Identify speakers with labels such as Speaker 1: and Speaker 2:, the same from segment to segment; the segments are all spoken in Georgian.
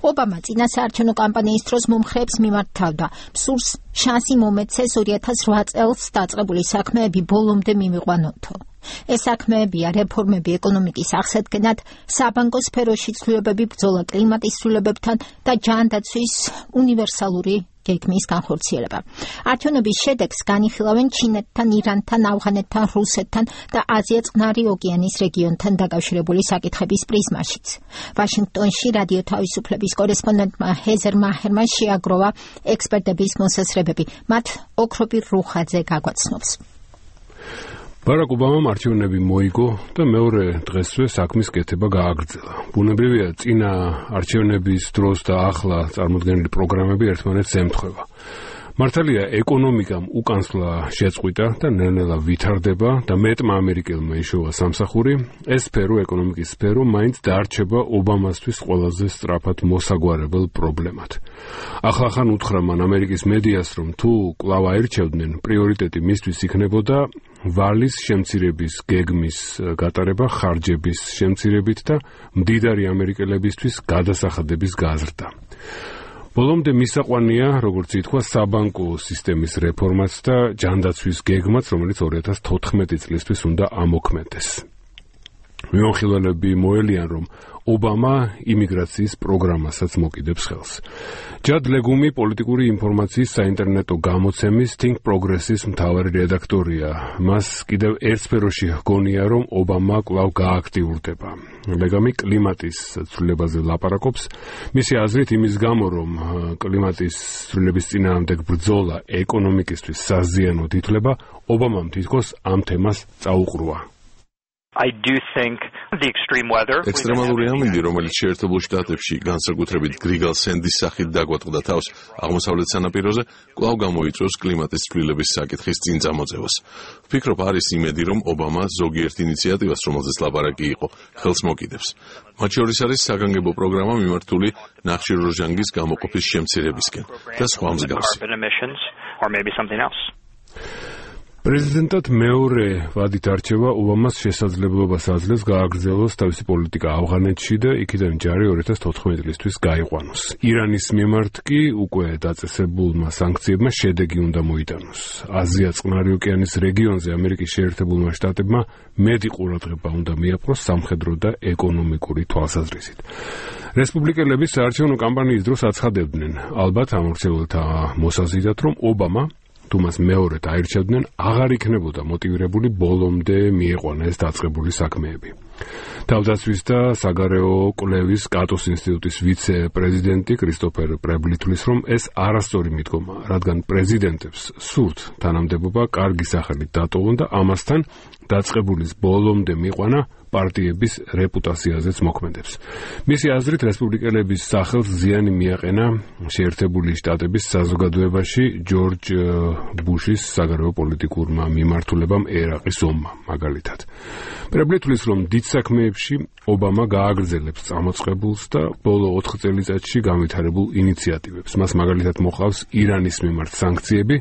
Speaker 1: ობამა წინა საარჩევნო კამპანიის დროს მომხრეებს მიმართავდა. მსურს შანსი მომეცეს 2008 წელს დაწყებული საქმეები ბოლომდე მივიყვანოთო. ეს საქმეებია რეფორმები ეკონომიკის აღსადგენად, საბანკო სფეროში ცვლილებები, ბრძოლა კლიმატის ცვლილებებთან და ჯანდაცვის უნივერსალური გეგმის განხორციელება. არჩევნების შედეგს განიხილავენ ჩინეთთან, ირანთან, ავღანეთთან, რუსეთთან და აზია-წყნარი ოკეანის რეგიონთან დაკავშირებული საკითხების პრიზმაშიც. ვაშინგტონში რადიო თავისუფლების კორესპონდენტმა ჰეზერ მაჰერმა შეაგროვა ექსპერტების მოსაზრებები. მათ ოქროპირ რუხაძე გაგვაცნობს.
Speaker 2: ბარაკ ობამამ არჩევნები მოიგო და მეორე დღესვე საქმის კეთება გააგრძელა. ბუნებრივია, წინა არჩევნების დროს და ახლა წარმოდგენილი პროგრამები ერთმანეთს ემთხვევა. მართალია, ეკონომიკამ უკანსვლა შეწყვიტა და ნელ-ნელა ვითარდება და მეტმა ამერიკელმა იშოვა სამსახური. ეს სფერო, ეკონომიკის სფერო, მაინც დაარჩება ობამასთვის ყველაზე სწრაფად მოსაგვარებელ პრობლემად. ახლახან უთხრა მან ამერიკის მედიას, რომ თუ კვლავ აირჩევდნენ, პრიორიტეტი მისთვის იქნებოდა ვალის შემცირების გეგმის გატარება ხარჯების შემცირებით და მდიდარი ამერიკელებისთვის გადასახადების გაზრდა. ბოლომდე მისაყვანია, როგორც ითქვა, საბანკო სისტემის რეფორმაც და ჯანდაცვის გეგმაც, რომელიც 2014 წლისთვის უნდა ამოქმედდეს. მიმოხილველები მოელიან, რომ ობამა იმიგრაციის პროგრამასაც მოკიდებს ხელს. ჯად ლეგუმი პოლიტიკური ინფორმაციის საინტერნეტო გამოცემის Think Progress-ის მთავარი რედაქტორია. მას კიდევ ერთ სფეროში ჰგონია, რომ ობამა კვლავ გააქტიურდება. ლეგამი კლიმატის ცვლილებაზე ლაპარაკობს. მისი აზრით იმის გამო, რომ კლიმატის ცვლილების წინააღმდეგ ბრძოლა ეკონომიკისთვის საზიანოდ ითვლება, ობამამ თითქოს ამ თემას წაუყრუა.
Speaker 3: ექსტრემალური ამინდი, რომელიც შეერთებულ შტატებში განსაკუთრებით გრიგალ სენდის სახით დაგვატყდა თავს აღმოსავლეთ სანაპიროზე, კვლავ გამოიწვევს კლიმატის ცვლილების საკითხის წინ წამოწევას. ვფიქრობ, არის იმედი, რომ ობამა ზოგიერთ ინიციატივას, რომელზეც ლაპარაკი იყო, ხელს მოკიდებს. მათ შორის არის საგანგებო პროგრამა მიმართული ნახშირორჟანგის გამოყოფის შემცირებისკენ და სხვა მსგავსი.
Speaker 2: პრეზიდენტად მეორე ვადით არჩევა ობამას შესაძლებლობას აძლევს გააგრძელოს თავისი პოლიტიკა ავღანეთში და იქიდან ჯარი 2014 წლისთვის გაიყვანოს. ირანის მიმართ კი უკვე დაწესებულმა სანქციებმა შედეგი უნდა მოიტანოს. აზია-წყნარი ოკეანის რეგიონზე ამერიკის შეერთებულმა შტატებმა მეტი ყურადღება უნდა მიაპყროს სამხედრო და ეკონომიკური თვალსაზრისით. რესპუბლიკელები საარჩევნო კამპანიის დროს აცხადებდნენ, ალბათ ამორჩეულთა მოსაზიდად, რომ ობამა თუ მას მეორედ აირჩევდნენ, აღარ იქნებოდა მოტივირებული ბოლომდე მieყვანა ეს დაწყებული საქმეები. თავდაცვის და საგარეო კვლევის კატოს ინსტიტუტის ვიცე-პრეზიდენტი კრისტოფერ პრებლი თვლის, რომ ეს არასწორი მიდგომაა, რადგან პრეზიდენტებს სურთ თანამდებობა კარგი სახელით დატოვონ და ამასთან დაწყებულის ბოლომდე მieყვანა პარტიების რეპუტაციაზეც მოქმედებს. მისი აზრით, რესპუბლიკელების სახელს ზიანი მიაყენა შეერთებული შტატების საზოგადოებაში ჯორჯ ბუშის საგარეო პოლიტიკურმა მიმართულებამ ერაყის ომმა, მაგალითად. პრებლი თვლის, რომ დიდ საქმეებში ობამა გააგრძელებს წამოწყებულს და ბოლო 4 წელიწადში განვითარებულ ინიციატივებს. მას მაგალითად მოყავს ირანის მიმართ სანქციები,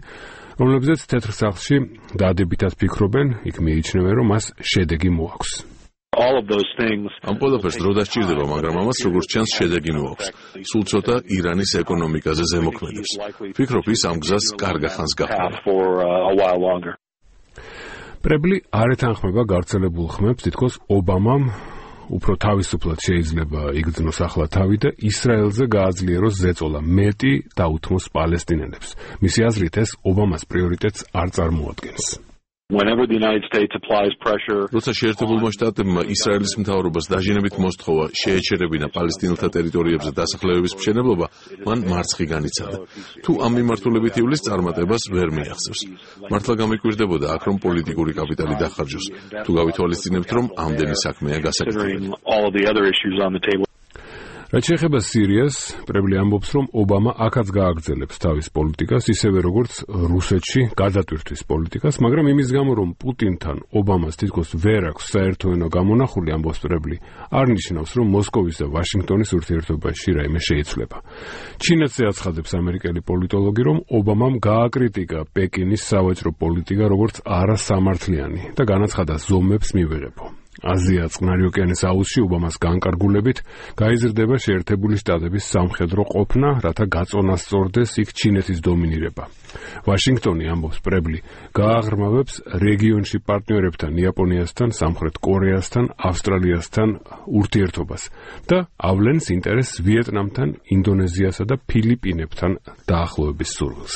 Speaker 2: რომლებზეც თეთრ სახლში დადებითად ფიქრობენ, იქ მიიჩნევენ, რომ მას შედეგი მოაქვს.
Speaker 3: ამ ყველაფერს დრო დასჭირდება, მაგრამ ამას როგორც ჩანს შედეგი მოაქვს. სულ ცოტა ირანის ეკონომიკაზე ზემოქმედებს. ვფიქრობ, ის ამ გზას კარგ ხანს გახდება.
Speaker 2: პრებლი არ ეთანხმება გავრცელებულ ხმებს, თითქოს ობამამ უფრო თავისუფლად შეიძლება იგრძნოს ახლა თავი და ისრაელზე გააძლიეროს ზეწოლა, მეტი დაუთმოს პალესტინელებს. მისი აზრით, ეს ობამას პრიორიტეტს არ წარმოადგენს.
Speaker 3: როცა შეერთებულმა შტატებმა ისრაელის მთავრობას დაჟინებით მოსთხოვა შეეჩერებინა პალესტინელთა ტერიტორიებზე დასახლებების მშენებლობა, მან მარცხი განიცადა. თუ ამ მიმართულებით ივლის, წარმატებას ვერ მიაღწევს. მართლა გამიკვირდებოდა აქ, რომ პოლიტიკური კაპიტალი დახარჯოს, თუ გავითვალისწინებთ, რომ ამდენი საქმეა გასაკეთებელი.
Speaker 2: რაც შეეხება სირიას, პრებლი ამბობს, რომ ობამა აქაც გააგრძელებს თავის პოლიტიკას, ისევე როგორც რუსეთში გადატვირთვის პოლიტიკას, მაგრამ იმის გამო, რომ პუტინთან ობამას თითქოს ვერ აქვს საერთო გამონახული, ამბობს პრებლი, არ ნიშნავს, რომ მოსკოვის და ვაშინგტონის ურთიერთობაში რაიმე შეიცვლება. ჩინეთზე აცხადებს ამერიკელი პოლიტოლოგი, რომ ობამამ გააკრიტიკა პეკინის სავაჭრო პოლიტიკა როგორც არასამართლიანი და განაცხადა ზომებს მივიღებო. აზია წყნარი ოკეანის აუზში უბამას განკარგულებით გაიზრდება შეერთებული შტატების სამხედრო ყოფნა, რათა გაწონასწორდეს იქ ჩინეთის დომინირება. ვაშინგტონი, ამბობს პრებლი, გააღრმავებს რეგიონში პარტნიორებთან იაპონიასთან, სამხრეთ კორეასთან, ავსტრალიასთან ურთიერთობას და ავლენს ინტერესს ვიეტნამთან, ინდონეზიასა და ფილიპინებთან დაახლოების სურვილს.